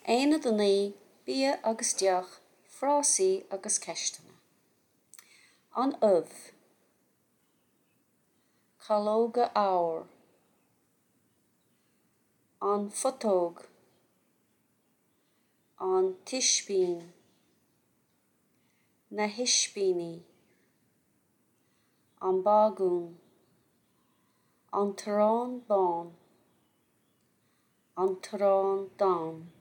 Aonad 9, Bia agus Deoch, Frásaí agus Ceisteanna. An ubh. Calóga óir. An phutóg. An t-ispín. Na hispíní. An bagún. An t-arán bán. An t-arán donn.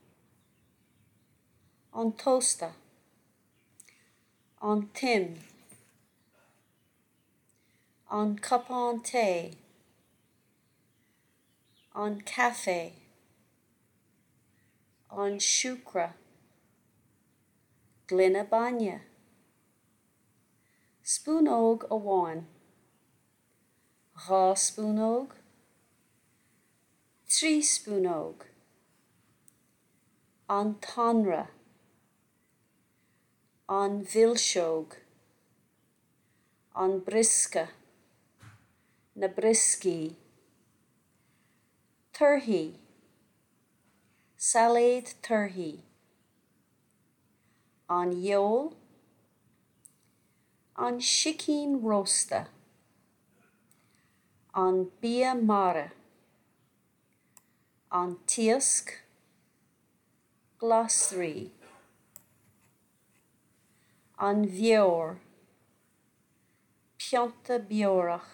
An tósta. An t-im. An cupán tae. An caife. An siúcra. Gloine bainne. Spúnóg amháin. 2 spúnóg, 3 spúnóg, an t-anraith, an mhilseog, an briosca, na brioscaí, torthaí, sailéad torthaí, an fheoil, An sicín rósta. An bia mara. An t-iasc. Glasraí. An bheoir. Pionta beorach.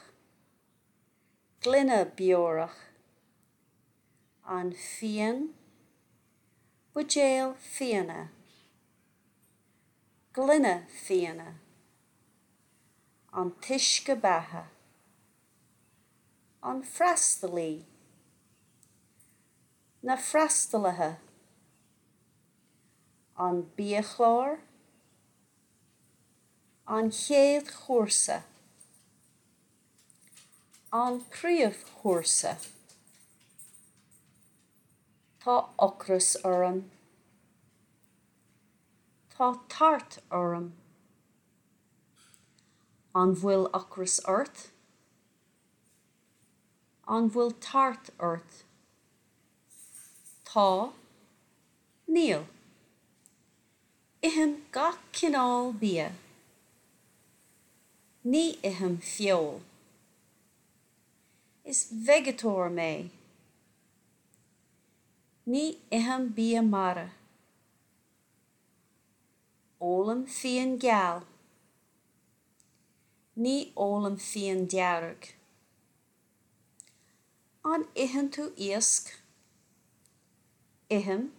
Gloine beorach. An fíon. Buidéal fíona. Gloine fíona. An t-uisce beatha. An freastalaí. Na freastalaithe. An biachlár. An chéad chúrsa. An príomhchúrsa. Tá ocras orm. Tá tart orm. An bhfuil ocras ort? An bhfuil tart ort? Tá. Níl. Ithim gach cineál bia. Ní ithim feoil. Is veigeatóir mé. Ní ithim bia mara. Ólaim fíon geal. Ní ólaim fíon dearg. An itheann tú iasc? Ithim.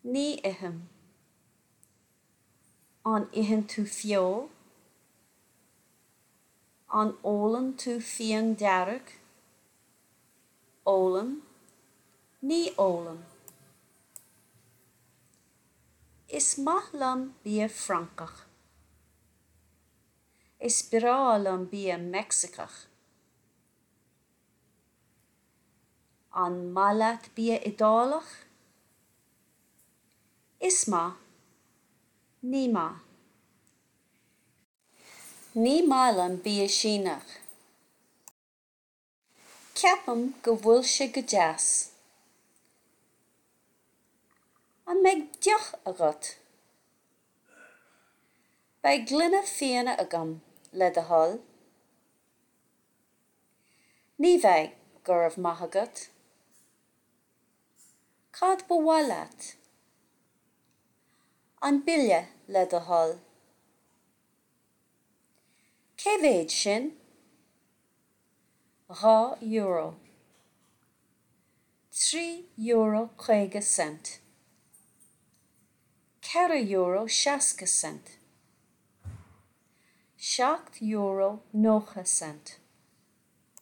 Ní ithim. An itheann tú feoil? An ólann tú fíon dearg? Ólaim. Ní ólaim. Is maith liom bia Francach. Is breá liom bia Meicsiceach. An maith leat bia Iodálach? Is maith. Ní maith. Ní maith liom bia Síneach. Ceapaim go bhfuil sé go deas. An mbeidh deoch agat? Beidh gloine fíona agam, le do thoil. Ní bheidh, go raibh maith agat. Cad ba mhaith leat? An bille, le do thoil. Cé mhéad sin? €2. €3.50. €4.60. €7.90.